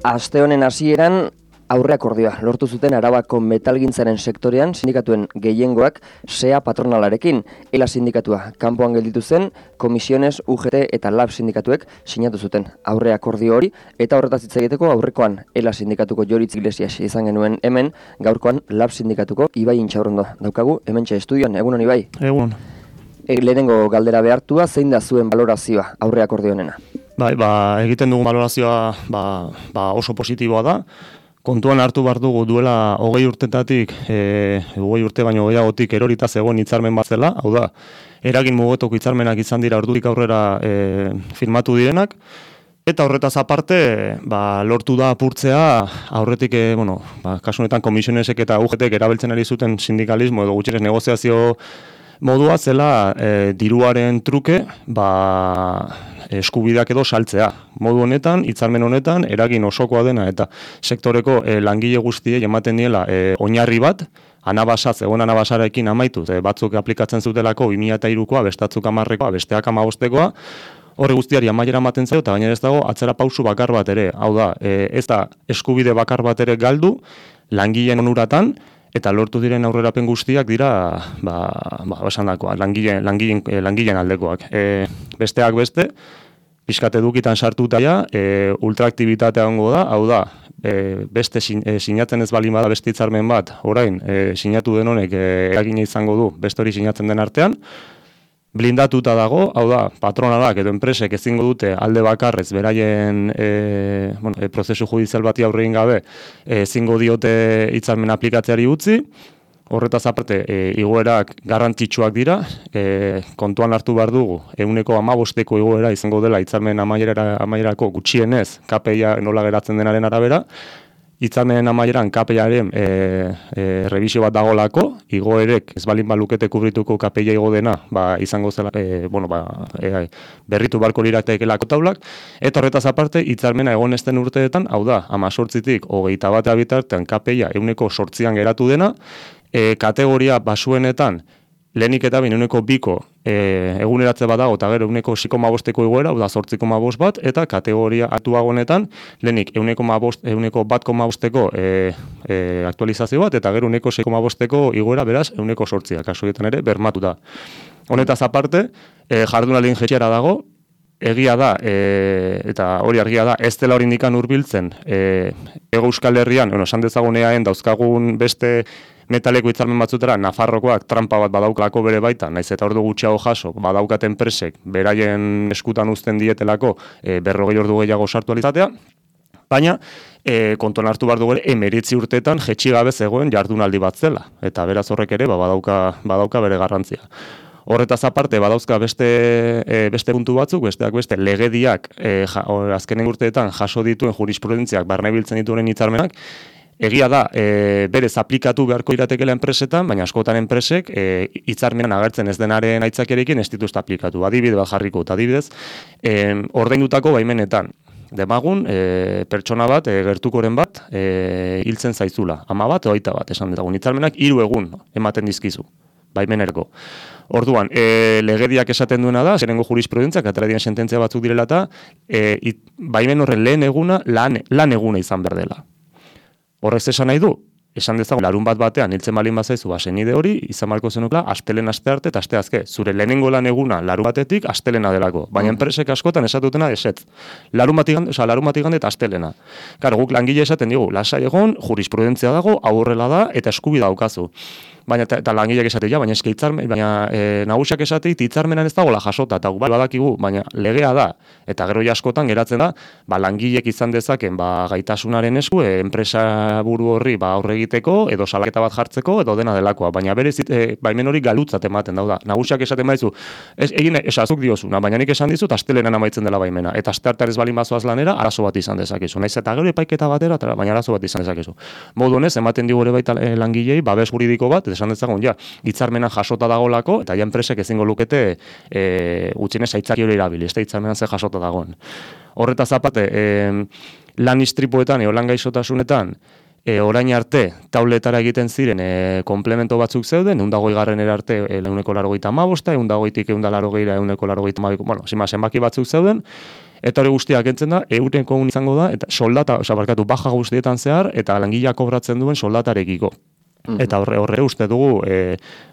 Aste honen hasieran aurreakordioa lortu zuten Arabako metalgintzaren sektorean sindikatuen gehiengoak SEA patronalarekin. ELA sindikatua kanpoan gelditu zen, Comisiones, UGT eta LAB sindikatuek sinatu zuten aurreakordio hori, eta horretaz hitz egiteko aurrekoan ELA sindikatuko Joritz Iglesias izan genuen hemen, gaurkoan LAB sindikatuko Ibai Intxaurrondo daukagu hementxe estudioan. Egunon, Ibai? Egun. Lehenengo galdera behartua, zein da zuen balorazioa aurreakordio honena? Bai, egiten dugun balorazioa oso positiboa da. Kontuan hartu behar dugu duela 20 urtetatik, 20 urte baino gehiagotik erorita zegoen hitzarmen bat zela, hau da, eragin mugetoko hitzarmenak izan dira ordutik aurrera firmatu direnak, eta horretaz aparte, lortu da apurtzea aurretik, kasu honetan Comisionesek eta UGTek erabiltzen ari zuten sindikalismo edo gutxienez negoziazio modua zela diruaren truke, eskubideak edo saltzea. Modu honetan, hitzarmen honetan, eragin osokoa dena eta sektoreko langile guztiei ematen diela oinarri bat, zegoen anabasarekin amaitu, batzuk aplikatzen zutelako 2003koa, bestatzuk 10koa, besteak 15koa, horre guztiari amaiera ematen zaio, eta gainera ez dago atzera pausu bakar bat ere. Hau da, ez da eskubide bakar bat ere galdu, langileen onuratan, eta lortu diren aurrerapen guztiak dira, esandakoa, langileen aldekoak. Besteak beste, pixkat edukitan sartuta ja, ultraaktibitatea ongo da, hau da, beste sinatzen ez baldin bada beste hitzarmen bat, orain, sinatu den honek eragina izango du beste hori sinatzen den artean, blindatuta dago, hau da, patronalak edo enpresek ezingo dute alde bakarrez beraien prozesu judizial bati aurre egin gabe ezingo diote hitzarmen aplikatzeari utzi. Horretaz aparte, igoerak garrantzitsuak dira, kontuan hartu behar dugu, 15% igoera izango dela hitzarmen amaierako gutxienez, KPIa nola geratzen denaren arabera, hitzarmen amaieran KPIaren revisio bat dagolako, igoerek ez balin balukete kubrituko KPIa igo dena, izango zela, berritu barko liratekelako taulak, eta horretaz aparte, hitzarmena egon esten urteetan, hau da, 18tik 21 bitartean KPIa 8% geratu dena, kategoria basuenetan, lehenik eta bain 2ko eguneratze bat dago, eta gero 6,5ko igoera, da 8,5 bat, eta kategoria aktuagonetan, lehenik 1,5ko aktualizazio bat, eta gero 6,5ko igoera, beraz, 8,8, kasuetan ere, bermatuta. Honetaz aparte, jardunaldien jetxera dago, egia da, eta hori argia da, ez dela hori indikan hurbiltzen, Hego Euskal Herrian, esan dezagun eaen dauzkagun beste metaleko hitzarmen batzutera, Nafarrokoak trampa bat badaukalako bere baita, naiz eta ordu gutxiago jaso, badaukat enpresek, beraien eskutan uzten dietelako 40 ordu gehiago sartu alizatea, baina kontuan hartu behar dugu ere 19 urteetan jetxi gabe zegoen jardunaldi bat zela, eta beraz horrek ere badauka bere garrantzia. Horretaz aparte, badauzka beste puntu batzuk, besteak beste legediak azkenen urteetan jaso dituen jurisprudentziak barne biltzen dituen hitzarmenak, egia da, berez aplikatu beharko iratekela enpresetan, baina askotan enpresek hitzarmenan agertzen ez denaren aitzakiarekin ez dituzte aplikatu. Adibide bat jarriko, eta adibidez, ordaindutako baimenetan. Demagun, pertsona bat, gertukoren bat, hiltzen zaizula. 10 bat, 20 bat, esan detagun. Hitzarmenak 3 egun ematen dizkizu, baimenerko. Orduan, legediak esaten duena da, zerengo jurisprudentziak, atera diren sententzia batzuk direla eta, baimen horren lehen eguna, lan eguna izan behar dela. Horrez esan nahi du, esan dezagun, larun bat batean hiltzen balin bazaizu senide hori, izan marko zenukla, astelen aste arte eta aste azke. Zure lehenengo lan eguna larun batetik astelena delako. Baina enpresek askotan esatutena esetz. Larun bat igande eta astelena. Karo, guk langile esaten digu, lasai egon, jurisprudentzia dago, aurrela da eta eskubida daukazu. Baina eta langileak esatea, baina eske hitzarmen, baina nagusiak esatea hitzarmenan ez dagoela jasota, eta bai badakigu, baina legea da, eta gero askotan geratzen da, langileek izan dezaken gaitasunaren esku, enpresa buru horri aurre egiteko, edo salaketa bat jartzeko, edo dena delakoa, baina berez baimen hori galutzat ematen da. Nagusiak esaten baizu, esazuk diozuna, baina nik esan dizut astelenan amaitzen dela baimena, eta asteartean ez balin bazoaz lanera, arazo bat izan dezakezu. Naiz eta gero epaiketa batera, baina arazo bat izan dezakezu. Modu honez, ematen digu ere baita langilei babes juridiko bat, esan dezagun, hitzarmenan jasota dagolako, eta enpresek ezingo lukete gutxienez aitzaki hori erabili, ez da hitzarmenan ze jasota dagoen. Horretaz aparte, lan istripuetan, lan gaixotasunetan, orain arte, tauletara egiten ziren komplemento batzuk zeuden, 120 arte 185, 120tik 180, 182, zenbaki batzuk zeuden, Eta hori guztiak entzen da, eureko izango da, eta soldata, baja guztietan zehar, eta langileak kobratzen duen soldatarekiko. Eta horre uste dugu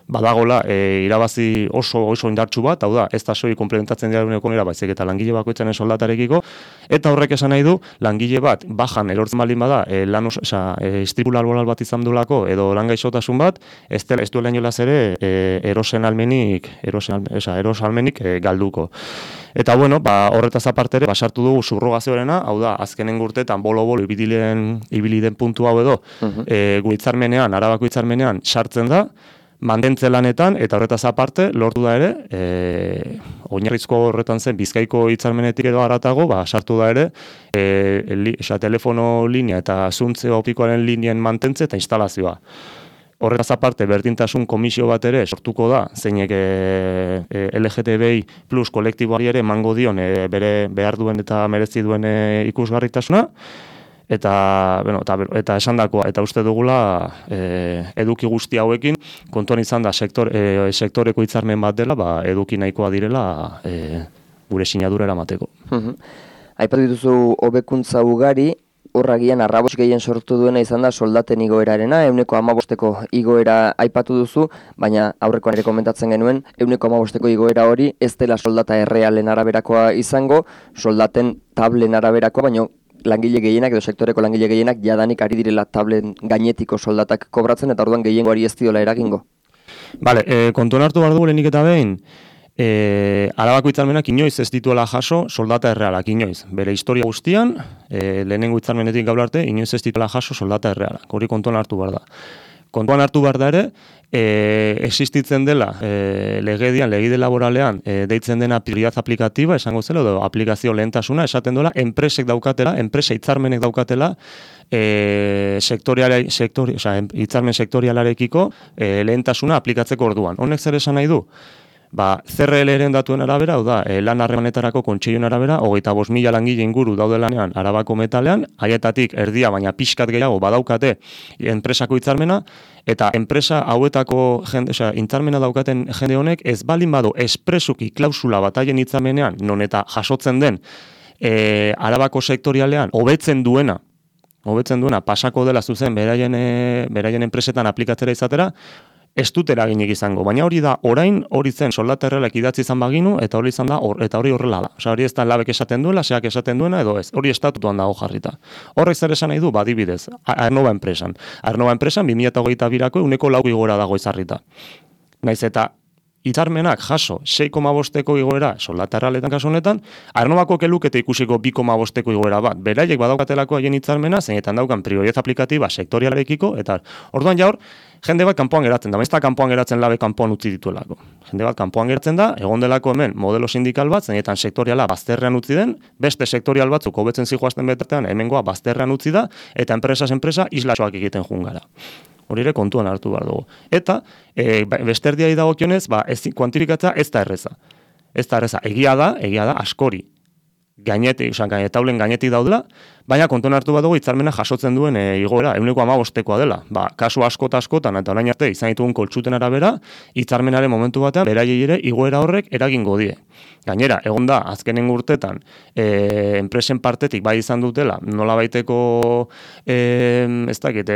badagola irabazi oso indartsu bat, hau da, ez da soilik komplementatzen dira eguneko baizik eta langile bakoitzaren soldatarekiko, eta horrek esan nahi du, langile bat bajan erortzen baldin bada, istripu laboral bat izan duelako, edo lan gaixotasun bat, ez duela inolaz ere eros almenik galduko. Eta bueno, horretaz aparte ere, sartu dugu subrogazioarena, hau da, azkenen urteetan bolo-bolo ibili den puntu hau edo, gu hitzarmenean, Arabako hitzarmenean sartzen da, mantentze lanetan, eta horretaz aparte, lortu da ere, oinarrizko horretan zen, Bizkaiko hitzarmenetik edo haratago, sartu da ere, telefono linea eta zuntze optikoaren linien mantentze eta instalazioa. Horretaz aparte, berdintasun komisio bat ere sortuko da, zeinek LGTBI plus kolektiboari ere emango dion bere behar duen eta merezi duen ikusgarritasuna, eta esandakoa, eta uste dugula eduki guzti hauekin, kontuan izan da sektoreko hitzarmen bat dela, eduki nahikoa direla gure sinadura eramateko. Aipatu dituzu hobekuntza ugari, horragian arrabos gehien sortu duena izan da soldaten igoerarena, 15% igoera aipatu duzu, baina aurrekoan ere komentatzen genuen, 15% igoera hori ez dela soldata errealen araberakoa izango, soldaten tablen araberakoa, baina langile gehienak edo sektoreko langile gehienak jadanik ari direla tablen gainetiko soldatak kobratzen, eta orduan gehiengoari ez diola eragingo. Bale, kontuan hartu behar dugu lehenik eta behin, Arabako hitzarmenak inoiz ez dituela jaso soldata errealak, inoiz. Bere historia guztian, lehenengo hitzarmenetik gaur arte, inoiz ez dituela jaso soldata errealak. Hori kontuan hartu behar da. Kontuan hartu behar da ere, existitzen dela legide laboralean deitzen dena prioridad aplikatiba, esango zela, edo aplikazio lehentasuna, esaten duela, enpresek daukatela, enpresa hitzarmenek daukatela, hitzarmen sektorialarekiko lehentasuna aplikatzeko orduan. Honek zer esan nahi du? CRL-ren datuen arabera, hau da, lan harremanetarako kontseiluaren arabera, 25.000 langile inguru daude lanean Arabako metalean, haietatik erdia baina pixkat gehiago badaukate enpresako hitzarmena, eta enpresa hauetako hitzarmena daukaten jende honek ez baldin badu espresuki klausula bat haien hitzarmenean, non eta jasotzen den Arabako sektorialean hobetzen duena pasako dela zuzen beraien enpresetan aplikatzera izatera, ez dut eraginik izango, baina hori da, hori zen soldata errealak idatzi izan baginu, eta hori izan da, eta hori horrela da. Hori ez da labek esaten duela, seak esaten duena, edo ez. Hori estatutuan dago jarrita. Horrek zer esan nahi du, badibidez, Aernova enpresan. Aernova enpresan 2022ko 4% igora dago izarrita. Naiz eta hitzarmenak jaso 6,5ko igoera soldata errealetan kasu honetan, Aernovako kelukete ikusiko 2,5ko igoera bat. Beraiek badaukatelako haien hitzarmena, zeinetan daukan prioridad aplikatiba sektorialarekiko, eta orduan jaur, jende bat kanpoan geratzen da, ez da kanpoan geratzen labe kanpoan utzi dituelako. Jende bat kanpoan geratzen da, egon delako hemen modelo sindikal bat, zeinetan sektoriala bazterrean utzi den, beste sektorial batzuk hobetzen zijoazten betartean, hemengoa bazterrean utzi da, eta enpresa islatxoak egiten jungara. Hori ere kontuan hartu behar dugu. Eta, besterdiai dagokionez, kuantifikatzea ez da erreza. Ez da erreza. Egia da, askori. Taulen gainetik daudela, baina kontuan hartu bat dugu hitzarmena jasotzen duen igoera, 15%koa dela. Kasu askotan, eta orain arte izan ditugun koltsuten arabera, hitzarmenaren momentu batean, beraiei ere igoera horrek eragingo die. Gainera, egon da, azkenen urtetan, enpresen partetik bai izan dutela, nola baiteko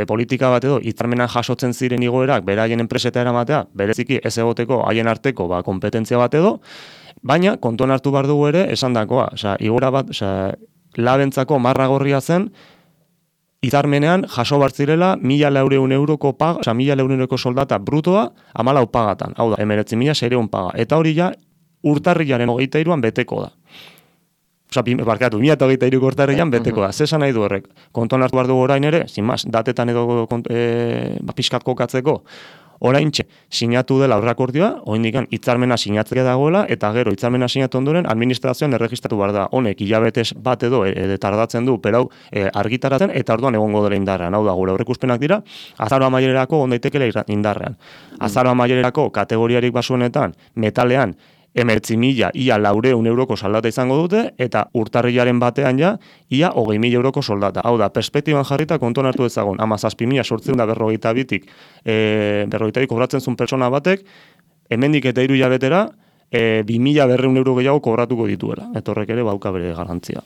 politika bat edo, hitzarmenan jasotzen ziren igoerak, beraien enpreseta eramatea, bereziki ez egoteko haien arteko kompetentzia bat edo, baina, kontuan hartu behar dugu ere, esandakoa, igora bat, labentzako marragorria zen, hitzarmenean jaso bartzirela 1.400 euroko paga, 1.400 euroko soldata brutoa, 14 pagatan, hau da, 19.600 paga, eta hori ja, urtarrilaren 23an beteko da. 2023ko urtarrilan beteko da. Zesan nahi du horrek, kontuan hartu behar dugu orain ere, zinmaz, datetan edo pixkat kokatzeko, oraintxe sinatu dela aurrakordioa, oraindik hitzarmena sinatzea dagoela, eta gero hitzarmena sinatu ondoren administrazioan erregistratu behar da. Honek hilabetez bat edo tardatzen du, perau argitaratzen, eta orduan egongo dela indarrean. Hau da, gure aurreikuspenak dira, azaro amaiererako on daitekela indarrean. Azaro amaiererako kategoriarik basuenetan, metalean, 19.000 ia 400 euroko soldata izango dute, eta urtarrilaren batean ja, ia 20.000 euroko soldata. Hau da, perspektiban jarrita kontuan hartu ezagun, 17.842-tik, 42 kobratzen zuen pertsona batek, hemendik eta 3 hilabetera, 2.200 euro gehiago kobratuko dituela. Eta horrek ere bauka bere garantzia.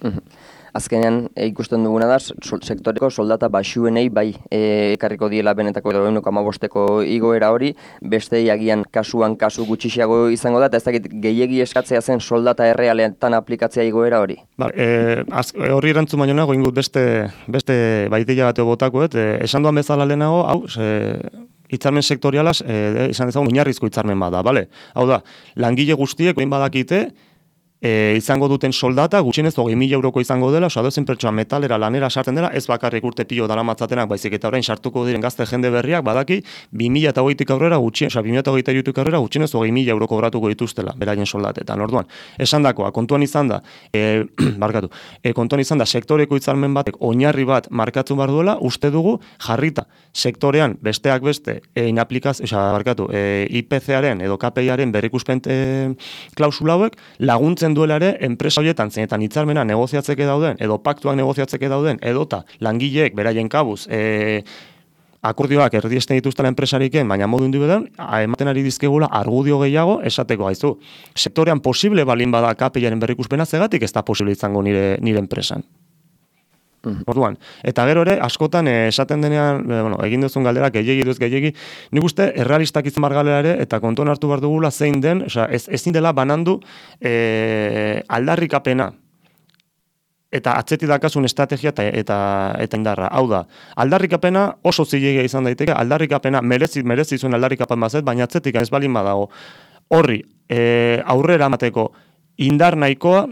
Azkenean ikusten duguna da sektoreko soldata baxuenei bai ekarriko diela benetako edo 1,5ko igoera hori, bestei agian kasu gutxiago izango da, eta ez dakit gehiegi eskatzea zen soldata errealetan aplikatzea igoera hori. Horri erantzun baino nago ingut beste baiteia bateo botakoet, esan duan bezala lehenago, hau, hitzarmen sektorialaz, izan dezagun oinarrizko hitzarmen bada, bale? Hau da, langile guztiek behin badakite, izango duten soldata, gutxienez 20.000 euroko izango dela, oso adozen pertsona metalera lanera sartzen dela, ez bakarrik urte pilo daramatzatenak, baizik eta orain sartuko diren gazte jende berriak, badaki 2020tik aurrera gutxienez, 2023tik aurrera gutxienez 20.000 euro kobratuko dituztela, beraien soldatetan. Orduan, esandakoa, kontuan izan da, kontuan izan da, sektoreko hitzarmen batek oinarri bat markatzen behar duela, uste dugu jarrita sektorean besteak beste IPC-aren edo KPI-aren berrikuspen klausula hauek laguntzen duela ere enpresa horietan zeinetan hitzarmena negoziatzeke dauden edo paktuak negoziatzeke dauden edota langileek beraien kabuz akordioak erdiesten dituztela enpresariken, baina modu individualean ematen ari dizkegula argudio gehiago esateko gaizu. Sektorean posible balin bada KPI-aren berrikuspena, zegatik ez da posible izango nire enpresan. Orduan, eta gero ere, askotan esaten denean, egin duzun galdera, gehiegi, nik uste errealistak izan bar galera ere, eta kontuan hartu behar dugula zein den, ezin dela banandu aldarrikapena, eta atzeti dakasun estrategia eta indarra. Hau da, aldarrikapena oso zilegia izan daiteke, aldarrikapena merezi zuen aldarrikapen bazet, baina atzetik ez balin badago horri aurrera emateko indar nahikoa,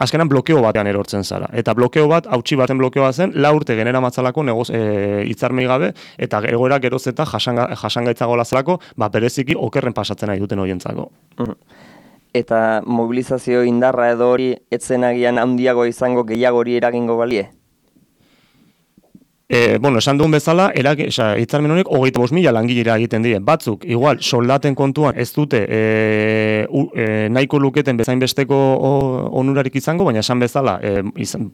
azkenan blokeo batean erortzen zara. Eta blokeo bat, hautsi baten blokeoa zen, 4 urte genera matzalako hitzarmei gabe, eta egoera geroz eta jasangaitzago lazalako, bereziki okerren pasatzen nahi duten horientzako. Eta mobilizazio indarra edo hori etzen agian handiago izango gehiago hori eragingo balie? Esan duen bezala, hitzarmen honek 25.000 langilera egiten die. Batzuk, igual, soldaten kontuan ez dute nahiko luketen bezain besteko onurarik izango, baina esan bezala,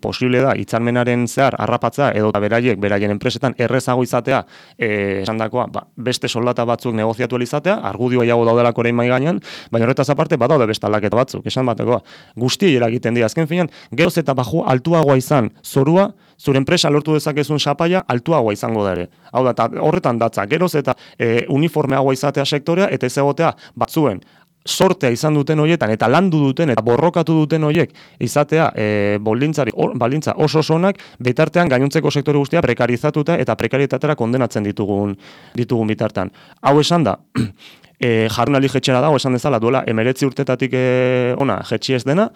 posible da, hitzarmenaren zehar harrapatzea edo beraien enpresetan errezago izatea, esan dakoa, beste soldata batzuk negoziatu izatea, argudio gehiago daudelako orain mai gainean, baina horretaz aparte, badaude beste aldaketa batzuk, esan batekoa, guztiei eragiten dira. Azken finean, geroz eta altuagoa izan zorua, zure enpresa lortu dezakezun sapaia altuagoa izango da ere. Hau da, horretan datza, geroz eta uniformeagoa izatea sektorea, eta ez egotea batzuen sortea izan duten horietan, eta landu duten, eta borrokatu duten horiek izatea baldintza oso sonak, bitartean gainontzeko sektore guztia prekarizatuta eta prekarietatera kondenatzen ditugun bitartan. Hau esan da, jardunaldi jetxera dago, esan dezala, duela 19 urtetatik ona jetxi ez dena,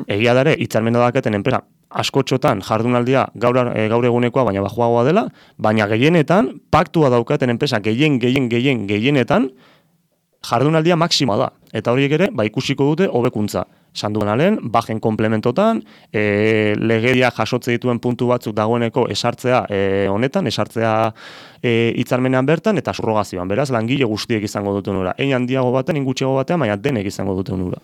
egia dare, hitzarmena daketen enpresa askotxotan jardunaldia gaur egunekoa, baina bajoagoa dela, baina gehienetan, paktua daukaten enpresa gehienetan, jardunaldia maksimoa da. Eta horiek ere, ikusiko dute hobekuntza. Sanduan alen, bajen komplementotan, legedia jasotze dituen puntu batzuk dagoeneko esartzea honetan, esartzea hitzarmenean bertan, eta subrogazioan. Beraz, langile guztiek izango dute onura. Ein handiago baten, ingutxego batean, baina denek izango dute onura.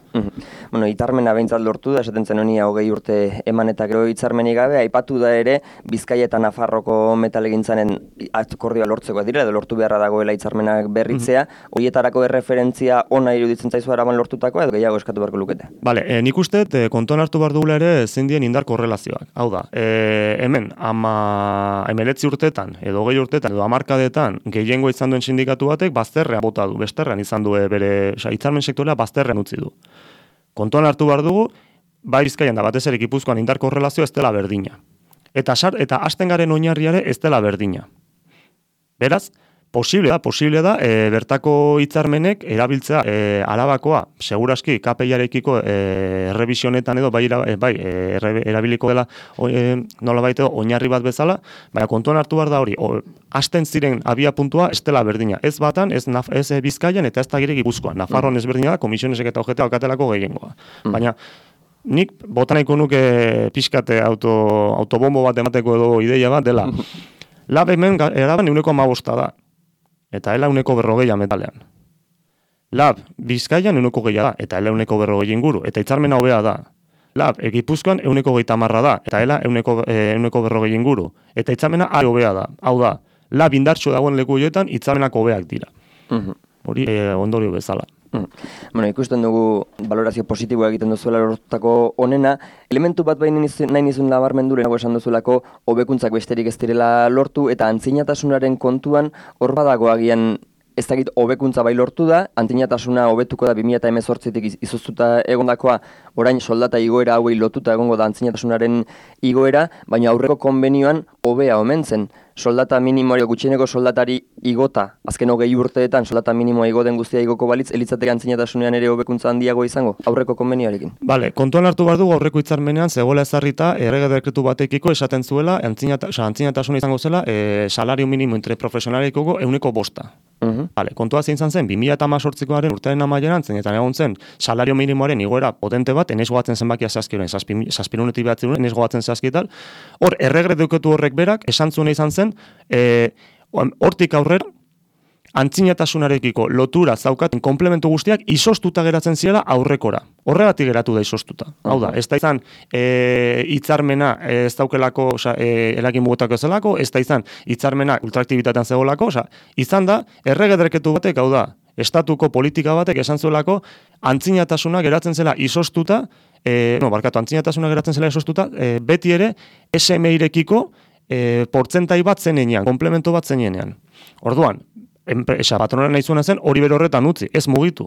Hitzarmena behintzat lortu da, esaten zen honi 20 urte eman eta gero hitzarmenik gabe, aipatu da ere, Bizkaia eta Nafarroko metalegintzaren akordioa lortzeko dira, edo lortu beharra dagoela hitzarmenak berritzea, horietarako erreferentzia ona iruditzen zaizu araban lortutakoa, edo gehiago eskatu beharko lukete? Nik uste, kontuan hartu behar dugula ere zindien indar korrelazioak. Hau da, hemen, 19 urtetan, edo 20 urtetan, edo 10 gehiengo izan duen sindikatu batek, bazterrean bota du, besterrean izan du hitzarmen sektorea bazterrean utzi du. Kontuan hartu behar dugu, bai Bizkaian da batez ere Gipuzkoan indar korrelazio ez dela berdina. Eta hasten garen oinarriare ez dela berdina. Beraz, posible da, bertako hitzarmenek erabiltzea Arabakoa, seguraski KPI-arekiko errebisionetan edo erabiliko dela nolabait edo oinarri bat bezala, baina kontuan hartu behar da hori, hasten ziren abia puntua ez dela berdina. Ez batan, ez Bizkaian eta ez da gire Gipuzkoan. Nafarroan ez berdina da, komisionesek eta ojetea alkatelako gehiengoa. Baina, nik botaneko nuke pixkate autobombo bat emateko edo ideia bat dela. Lab hemen eraban 1,5 da. Eta ela 140 metalean. Lab, Bizkaian 120 da, eta ela 140 inguru, eta hitzarmena hobea da. Lab, Gipuzkoan 130 da, eta ela 140 inguru, eta hitzarmena are hobea da. Hau da, lab indartsu dagoen leku horietan hitzarmenak hobeak dira. Hori ondorio bezala. Bueno, ikusten dugu balorazio positiboa egiten duzuela lortutako honena, elementu bat baina nahi nizun nabarmendu lehenago esan duzulako hobekuntzak besterik ez direla lortu eta antzinatasunaren kontuan hor badago agian ez dakit hobekuntza bai lortu da, antzinatasuna hobetuko da 2018tik izoztuta egondakoa, orain soldata igoera hauei lotuta egongo da antzinatasunaren igoera, baina aurreko konbenioan hobea omen zen. Soldata minimoa, gutxieneko soldatari igota, azken 20 urteetan soldata minimoa igo den guztia igoko balitz, elitzateke antzinatasunean ere hobekuntza handiago izango, aurreko konbenioarekin. Bale, kontuan hartu behar dugu aurreko hitzarmenean zegoela ezarrita errege dekretu batekiko esaten zuela antzinatasuna izango zela salario minimo interprofesionalikoko 105%. Bale, kontua zein zen 2018koaren urtearen amaieran zeinetan egon zen salario minimoaren igoera potente bat, enez goatzen zenbakia zazkioren, 7.900 enez goatzen zazkietal, hor errege dekretu horrek berak esan zuena izan zen, hortik aurrera, antzinatasunarekiko lotura zaukaten komplementu guztiak izoztuta geratzen zirela aurrekora. Horregatik geratu da izoztuta. Hau da, ez da izan hitzarmena ez daukelako, eragin mugutako zelako, ez da izan hitzarmena ultraaktibitatean zegoelako, izan da, errege dekretu batek, hau da, estatuko politika batek esan zuelako, antzinatasuna geratzen zela izoztuta, antzinatasuna geratzen zela izoztuta, beti ere SMI-rekiko portzentai bat zenean, komplemento bat zenean. Orduan, patronala nahi zuena zen hori bere horretan utzi, ez mugitu.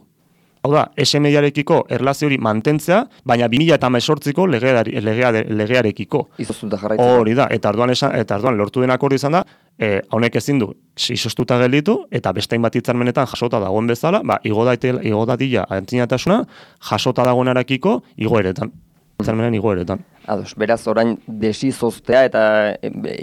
Hau da, SMI-arekiko erlazio hori mantentzea, baina 2018ko legearekiko. Izoztuta jarraitzen. Hori da, eta arduan lortu den akordio izan da, honek ezin du, izoztuta gelditu, eta beste hainbat hitzarmenetan jasota dagoen bezala, igo dadila antzinatasuna, jasota dagoenarekiko igoeretan. Hitzarmenen igoeretan. Ados, beraz, orain desizoztea eta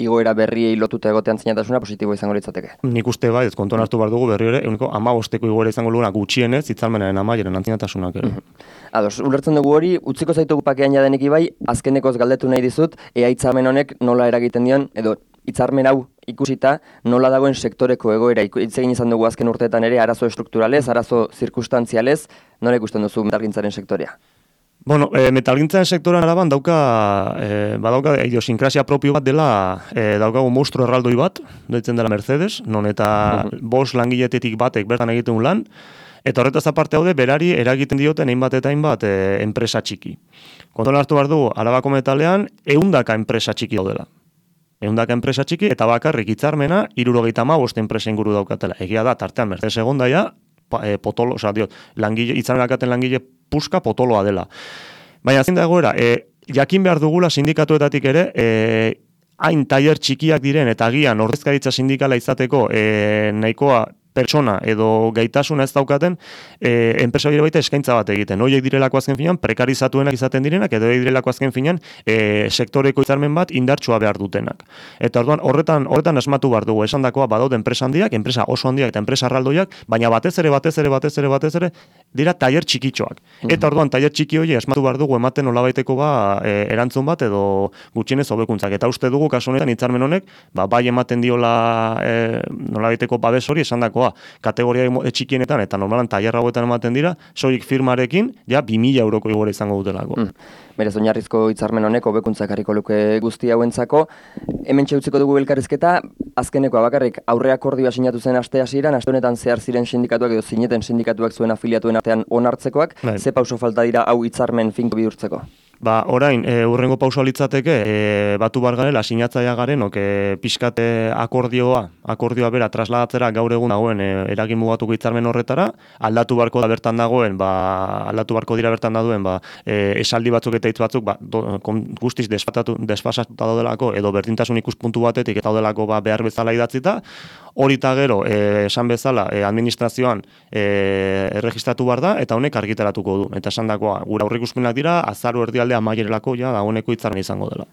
igoera berriei lotuta egote antzinatasuna positibo izango litzateke. Nik uste bai, ez kontuan hartu behar dugu berri ere, 15ko igoera izango luguna gutxienez, hitzarmenaren amaieren antzinatasunak ere. Ados, ulertzen dugu hori, utziko zaitugu pakean jadenik ibai, azkenekoz galdetu nahi dizut, ea hitzarmen honek nola eragiten dion, edo hitzarmen hau ikusita nola dagoen sektoreko egoera. Hitz egin izan dugu azken urteetan ere, arazo estrukturalez, arazo zirkunstantzialez, nola ikusten duzu metalgintzaren sektorea? Bueno, metalgintzaren sektorean araban badauka idiosinkrazia propio bat dela, daukagu monstru erraldoi bat, deitzen dela Mercedes, non eta 5 langiletetik batek bertan egiten lan, eta horretaz aparte haude, berari eragiten dioten hainbat eta hainbat enpresa txiki. Kontuan hartu behar dugu, Arabako metalean, 100 enpresa txiki daudela. 100 enpresa txiki, eta bakarrik hitzarmena 75 enpresa inguru daukatela. Egia da, tartean Mercedes egondaia, potolo, hitzarmenakaten langile puska potoloa dela. Baina zein da egoera, jakin behar dugula sindikatuetatik ere, hain tailer txikiak diren eta agian ordezkaritza sindikala izateko nahikoa pertsona edo gaitasuna ez daukaten, enpresa bire baita eskaintza bat egiten. Horiek direlako azken finean, prekarizatuenak izaten direnak, edo direlako azken finean, sektoreko hitzarmen bat indartsua behar dutenak. Eta orduan, horretan asmatu behar dugu, esan dakoa badaude enpresa handiak, enpresa oso handiak eta enpresa erraldoiak, baina batez ere, dira tailer txikitxoak. Eta orduan, tailer txiki hori asmatu behar dugu ematen nolabaiteko erantzun bat edo gutxienez hobekuntzak. Eta uste dugu, kasu honetan, hitzarmen honek, bai ematen diola nolabaiteko babes hori esan dakoa, kategoria txikienetan eta normalan tailer hauetan ematen dira, soilik firmarekin, ja 2.000 euroko igore izango dutelako. Berez oinarrizko hitzarmen honek hobekuntzak harriko luke guzti hauentzako. Hemen utziko dugu elkarrizketa, azkenekoa bakarrik aurre akordioa sinatu zen aste hasieran, aste honetan zehar ziren sindikatuak edo zineten sindikatuak zuen afiliatuen artean onartzekoak, ze pauso falta dira hau hitzarmen finko bihurtzeko? Orain, urrengo pausoa litzateke, batu bar garela, sinatzaia garenok, pixkate akordioa bera trasladatzera gaur egun dagoen eragin mugatuko hitzarmen horretara, aldatu barko dira bertan dagoen, esaldi batzuk eta hitz batzuk, guztiz desfasatuta daudelako, edo berdintasun ikuspuntu batetik eta daudelako behar bezala idatzita, hori eta gero, esan bezala, administrazioan erregistratu behar da, eta honek argitaratuko du. Eta esan dakoa, gure aurreikuspenak dira, azaru erdialdea amaierelako dagoeneko hitzarmen izango dela.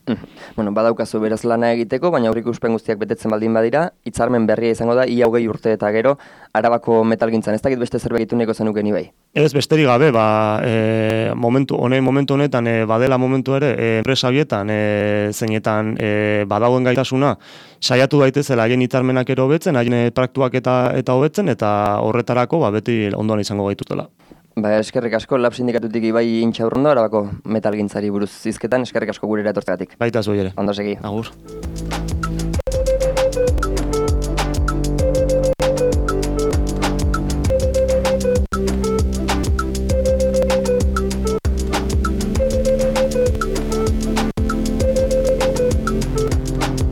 Bueno, badaukazu beraz lana egiteko, baina aurreikuspen guztiak betetzen baldin badira, hitzarmen berria izango da, ia 20 urte eta gero, Arabako metalgintzan. Ez dakit beste zerbait ituneko zenuken ibai? Ez besterik gabe, momentu honetan, badela momentu ere, enpresa bietan, zeinetan badagoen gaitasuna, saiatu daitezela haien hitzarmenak ero hobetzen, haien praktuak eta hobetzen, eta horretarako beti ondoan izango gaitutela. Eskerrik asko, Lab sindikatutik Ibai Intxaurrondo, Arabako metalgintzari buruz zizketan, eskerrik asko gurera etortzegatik. Baita zu ere. Ondo segi. Agur.